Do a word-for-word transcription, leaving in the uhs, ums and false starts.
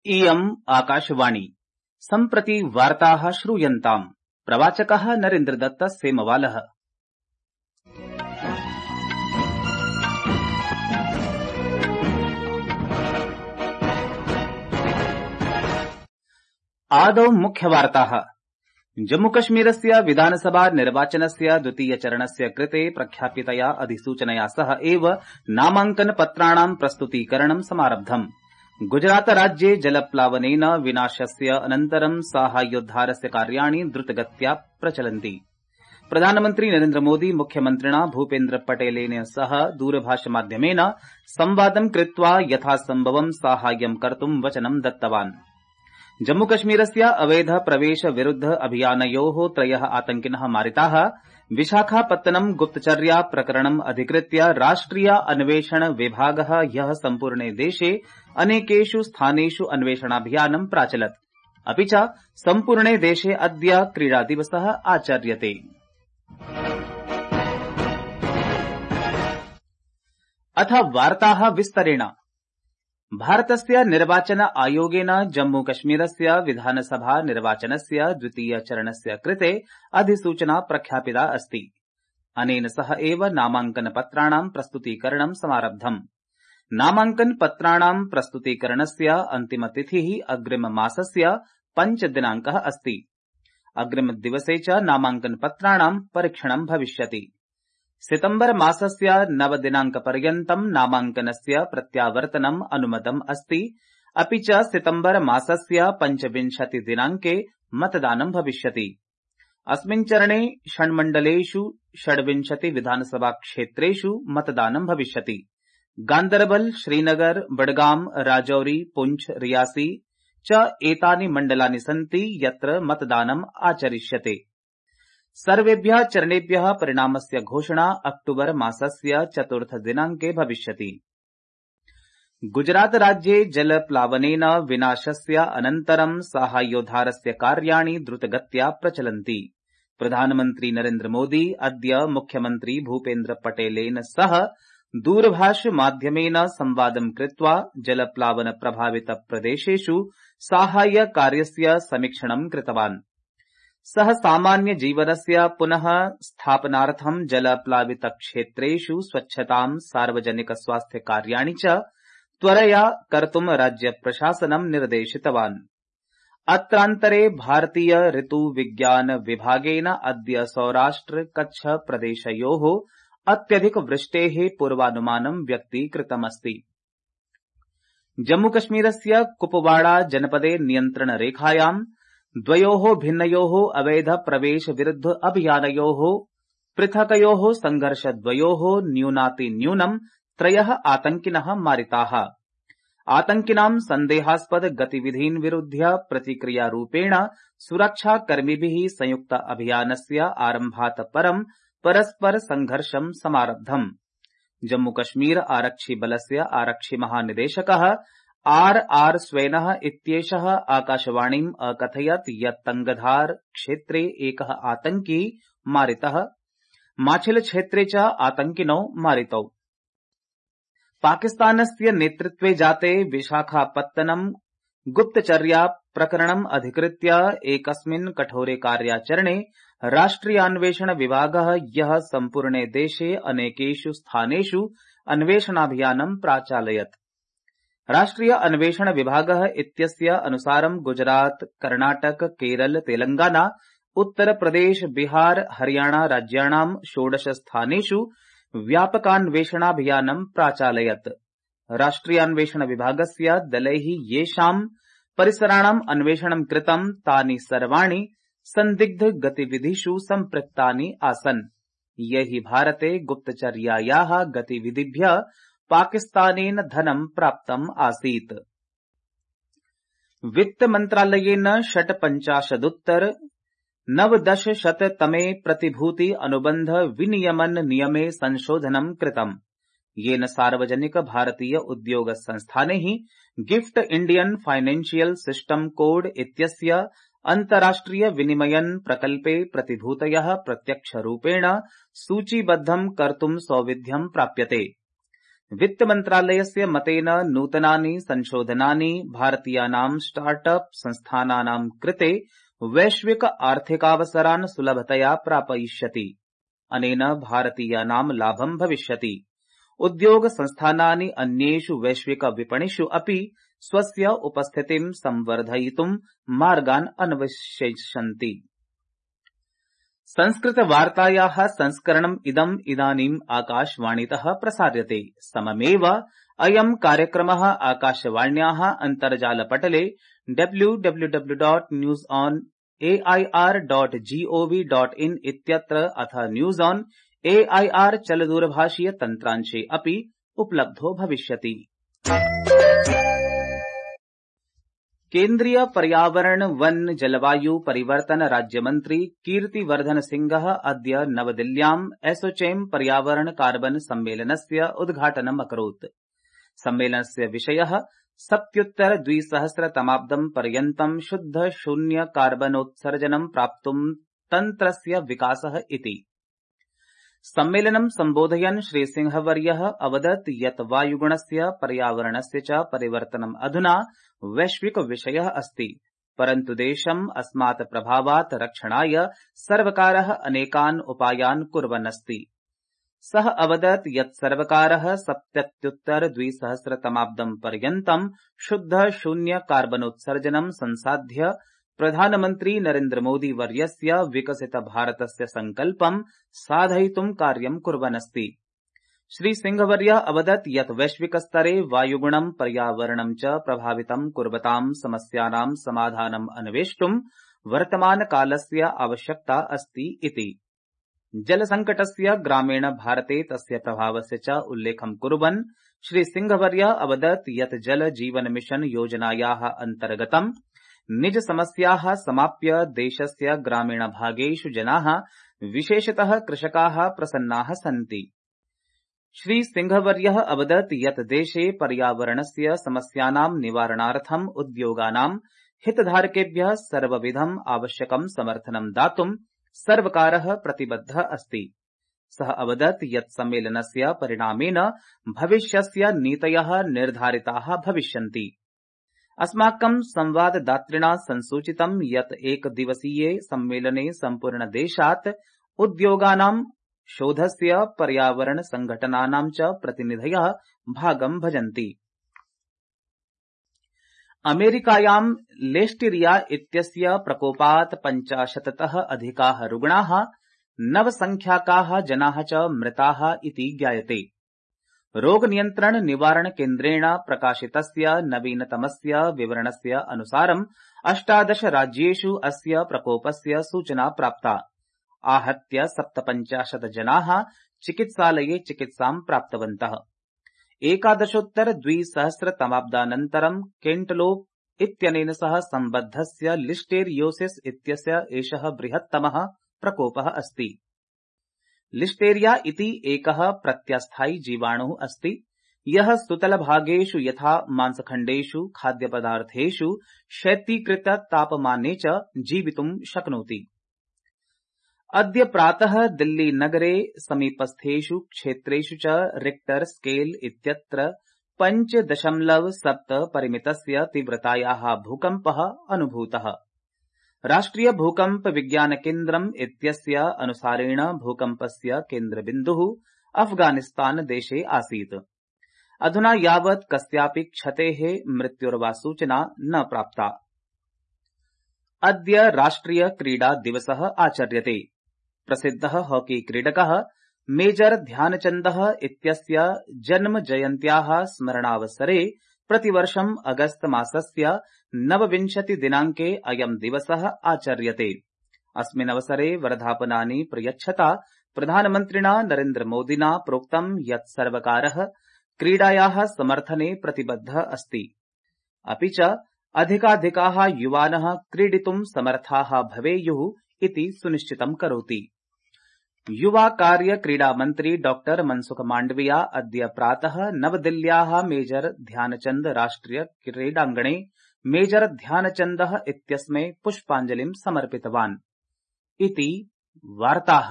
इयम् आकाशवाणी सम्प्रति वार्ताः श्रूयन्ताम्। प्रवाचकः नरेन्द्रदत्त सेमवालः। आदौ मुख्यवार्ताः। जम्मूकश्मीरस्य विधानसभा निर्वाचनस्य द्वितीयचरणस्य कृते प्रख्यापितया अधिसूचनया सह एव नामाङ्कन पत्राणां प्रस्तुतीकरणं समारब्धम्। गुजरात राज्ये जलप्लावनेन विनाशस्य अनन्तरं साहाय्योद्धारस्य कार्याणि द्रुतगत्या प्रचलन्ति। प्रधानमन्त्री नरेन्द्रमोदी मुख्यमन्त्रिणा भूपेन्द्र पटेलेन सह दूरभाषमाध्यमेन संवादं कृत्वा यथासम्भवं साहाय्यं कर्तुं वचनं दत्तवान्। जम्मूकश्मीरस्य अवैध प्रवेश विरुद्ध अभियानयोः त्रयः आतङ्किनः मारिताः। विशाखापत्तनम गुप्तचर्या प्रकरणम् अधिकृत्य राष्ट्रिय अन्वेषण विभागः ह्यः सम्पूर्णे देशे अनेकेषु स्थानेषु अन्वेषणाभियानं प्राचलत्। अपि च सम्पूर्णे देशे अद्य क्रीडादिवसः आचर्यते। अथ वार्ताः विस्तरेण। भारतस्य निर्वाचन आयोगेन जम्मूकश्मीरस्य विधानसभा निर्वाचनस्य द्वितीयचरणस्य कृते अधिसूचना प्रख्यापिता अस्ति। अनेन सह एव नामाङ्कनपत्राणां प्रस्तुतीकरणं समारब्धम्। नामाङ्कनपत्राणां प्रस्तुतीकरणस्य अन्तिमतिथिः अग्रिममासस्य पञ्चदिनाङ्कः अस्ति। अग्रिमदिवसे च नामाङ्कनपत्राणां परीक्षणं भविष्यति। सितम्बर मासस्य नवदिनाङ्कपर्यन्तं नामाङ्कनस्य प्रत्यावर्तनम् अनुमतम् अस्ति। अपि च सितम्बर मासस्य पञ्चविंशति दिनाङ्के मतदानं भविष्यति। अस्मिन् चरणे षण्मण्डलेषु षड्विंशति विधानसभा क्षेत्रेषु मतदानं भविष्यति। गान्दरबल, श्रीनगर, बडगाम, राजौरी, पुंछ, रियासी च एतानि मण्डलानि सन्ति यत्र मतदानम् आचरिष्यते। सर्वेभ्यः चरणेभ्यः परिणामस्य घोषणा अक्टूबर मासस्य चतुर्थ दिनाङ्के भविष्यति। गुजरात राज्ये जलप्लावनेन विनाशस्य अनन्तरं साहाय्योद्धारस्य कार्याणि द्रुतगत्या प्रचलन्ति। प्रधानमन्त्री नरेन्द्रमोदी अद्य मुख्यमन्त्री भूपेन्द्र पटेलेन सह दूरभाषमाध्यमेन संवादं कृत्वा जलप्लावन प्रभावित प्रदेशेषु साहाय्यकार्यस्य समीक्षणं कृतवान्। सः सामान्य जीवनस्य पुनः स्थापनार्थं जलप्लावित क्षेत्रेषु स्वच्छतां, सार्वजनिक स्वास्थ्य कार्याणि च त्वरया कर्तुं राज्य प्रशासनं निर्देशितवान्। अत्रान्तरे भारतीय ऋतुविज्ञान विभागेन अद्य सौराष्ट्र कच्छ प्रदेशयोः अत्यधिक वृष्टेः पूर्वानुमानं व्यक्तीकृतमस्ति। जम्मूकश्मीरस्य कुपवाड़ा जनपदे नियन्त्रणरेखायां द्वयोः भिन्नयोः अवैध प्रवेश विरुद्ध अभियानयोः पृथकयोः संघर्षद्वयोः न्यूनातिन्यूनं त्रयः आतङ्किनः मारिताः। आतङ्किनां सन्देहास्पद गतिविधीन् विरुध्य प्रतिक्रियारूपेण सुरक्षाकर्मिभिः संयुक्त अभियानस्य आरम्भात् परं परस्पर संघर्षं समारब्धम्। जम्मूकश्मीर आरक्षिबलस्य आरक्षिमहानिदेशकः आर आर स्वेनः इत्येषः आकाशवाणीम् अकथयत् यत् तंगधार क्षेत्रे एकः आतङ्की मारितः, माछिल क्षेत्रे च आतङ्किनौ मारितौ। पाकिस्तानस्य नेतृत्वे जाते विशाखापत्तनम गुप्तचर्या प्रकरणम् अधिकृत्य एकस्मिन् कठोरे कार्याचरणे राष्ट्रियान्वेषण विभागः ह्यः सम्पूर्णे देशे अनेकेषु स्थानेषु अन्वेषणाभियानं प्राचालयत्। राष्ट्रिय अन्वेषण विभागः इत्यस्य अनुसारं गुजरात, कर्णाटक, केरल, तेलंगाना, उत्तर प्रदेश, बिहार, हरियाणा राज्याणां षोडश स्थानेषु व्यापकान्वेषणाभियानं प्राचालयत्। राष्ट्रियान्वेषण विभागस्य दलैः येषां परिसराणाम् अन्वेषणं कृतं तानि सर्वाणि सन्दिग्ध गतिविधिषु सम्पृक्तानि आसन्। यैः भारते गुप्तचर्यायाः गतिविधिभ्यः पाकिस्तानेन धनं प्राप्तम् आसीत्। वित्तमन्त्रालयेन षट्पञ्चाशदुत्तर नवदशशततमे प्रतिभूति अनुबन्ध विनियमन नियमे संशोधनं कृतम्, येन सार्वजनिक भारतीय उद्योग संस्थानैः gift Indian financial system code इत्यस्य अन्ताराष्ट्रिय विनिमयन प्रकल्पे प्रतिभूतयः प्रत्यक्षरूपेण सूचीबद्धं कर्तुं सौविध्यं प्राप्यते। वित्तमन्त्रालयस्य मतेन नूतनानि संशोधनानि भारतीयानां स्टार्टअप संस्थानानां कृते वैश्विक आर्थिकावसरान् सुलभतया प्रापयिष्यति। अनेन भारतीयानां लाभं भविष्यति। उद्योग संस्थानानि अन्येषु वैश्विक विपणिषु अपि स्वस्य उपस्थितिं संवर्धयितुं मार्गान् अन्वेषयिष्यन्ति। संस्कृतवार्तायाः संस्करणम् इदम् इदानीम् आकाशवाणीतः प्रसार्यते। सममेव अयम् कार्यक्रमः आकाशवाण्याः अन्तर्जालपटले W W W dot news on A I R dot GOV dot in इत्यत्र अथ news on A I R चलदूरभाषीय तन्त्रांशे अपि उपलब्धो भविष्यति। केन्द्रीय पर्यावरण वन जलवायु परिवर्तन राज्यमन्त्री कीर्तिवर्धन सिंहः अद्य नवदिल्ल्याम् एसोचेम पर्यावरण कार्बन सम्मेलनस्य उद्घाटनम् अकरोत्। सम्मेलनस्य विषयः सप्तत्युत्तर द्विसहस्रतमाब्दम् पर्यन्तम् शुद्ध शून्य कार्बनोत्सर्जनम् प्राप्तुम् तन्त्रस्य विकासः इति। सम्मेलनं सम्बोधयन् श्रीसिंहवर्यः अवदत् यत् वायुगुणस्य पर्यावरणस्य च परिवर्तनम् अधुना वैश्विक विषयः अस्ति, परन्तु देशम् अस्मात् प्रभावात् रक्षणाय सर्वकारः अनेकान् उपायान् कुर्वन् अस्ति। सः अवदत् यत् सर्वकारः सप्तत्युत्तर द्विसहस्रतमाब्दम् पर्यन्तम् शुद्ध शून्य कार्बनोत्सर्जनम् संसाध्य प्रधानमन्त्री नरेन्द्र मोदी वर्यस्य विकसित भारतस्य सङ्कल्पं साधयितुं कार्यं कुर्वन् अस्ति। श्रीसिंहवर्यः अवदत् यत् वैश्विकस्तरे वायुगुणं पर्यावरणं च प्रभावितं कुर्वतां समस्यानां समाधानम् अन्वेष्टुं वर्तमानकालस्य आवश्यकता अस्ति इति। जलसङ्कटस्य ग्रामीण भारते तस्य प्रभावस्य च उल्लेखं कुर्वन् श्रीसिंहवर्यः अवदत् यत् जल जीवन मिशन योजनायाः अन्तर्गतं निज समस्याः समाप्य देशस्य ग्रामीणभागेषु जनाः विशेषतः कृषकाः प्रसन्नाः सन्ति। श्रीसिंहवर्यः अवदत् यत् देशे पर्यावरणस्य समस्यानां निवारणार्थम् उद्योगानां हितधारकेभ्यः सर्वविधम् आवश्यकं समर्थनं दातुं सर्वकारः प्रतिबद्धः अस्ति। सः अवदत् यत् सम्मेलनस्य परिणामेन भविष्यस्य नीतयः निर्धारिताः भविष्यन्ति। अस्माकं संवाददातृणा संसूचितं यत् एकदिवसीये सम्मेलने सम्पूर्णदेशात् उद्योगानां शोधस्य पर्यावरण संघटनानां च प्रतिनिधयः भागं भजन्ति। अमेरिकायां लिस्टीरिया इत्यस्य प्रकोपात् पञ्चाशत्तः अधिकाः रुग्णाः नवसंख्याकाः जनाः च मृताः इति ज्ञायते। रोगनियन्त्रण निवारण केन्द्रेण प्रकाशितस्य नवीनतमस्य विवरणस्य अनुसारम् अष्टादश राज्येषु अस्य प्रकोपस्य सूचना प्राप्ता। आहत्य सप्तपञ्चाशत् जनाः चिकित्सालये चिकित्सां प्राप्तवन्तः। एकादशोत्तर द्विसहस्रतमाब्दानन्तरं केण्टलोप इत्यनेन सह सम्बद्धस्य लिस्टेरियोसिस इत्यस्य एषः बृहत्तमः प्रकोपः अस्ति। लिस्टेरिया इति एकः प्रत्यस्थायी जीवाणुः अस्ति, यः सुतलभागेषु यथा मांसखण्डेषु खाद्यपदार्थेषु शैत्यीकृत तापमाने च जीवितुं शक्नोति। अद्य प्रातः दिल्ली नगरे समीपस्थेषु क्षेत्रेषु च रिक्टर स्केल इत्यत्र पञ्च दशमलव सप्त परिमितस्य तीव्रतायाः भूकम्पः अनुभूतः। राष्ट्रिय भूकम्प विज्ञान केन्द्रम् इत्यस्य अनुसारेण भूकम्पस्य केन्द्रबिन्दुः अफगानिस्तान देशे आसीत्। अधुना यावत् कस्यापि क्षतेः मृत्योर्वा सूचना न प्राप्ता। अद्य राष्ट्रिय क्रीडा दिवसः आचर्यते। प्रसिद्धः हॉकी क्रीडकः मेजर ध्यानचन्दः इत्यस्य जन्म जयन्त्याः स्मरणावसरे प्रतिवर्षम् अगस्त मासस्य नवविंशति दिनाङ्के अयम् दिवसः आचर्यते। अस्मिन् अवसरे वर्धापनानि प्रयच्छता प्रधानमन्त्रिणा नरेन्द्र मोदिना प्रोक्तम् यत् सर्वकारः क्रीडायाः समर्थने प्रतिबद्धः अस्ति, अपि च अधिकाधिकाः युवानः क्रीडितुं समर्थाः भवेयुः इति सुनिश्चितं करोति। युवा कार्य क्रीडा मन्त्री डॉक्टर मनसुख माण्डविया अद्य प्रातः नवदिल्ल्याः मेजर ध्यानचन्द राष्ट्रिय क्रीडाङ्गणे मेजर ध्यानचन्दः इत्यस्मै पुष्पाञ्जलिं समर्पितवान् इति वार्ताः।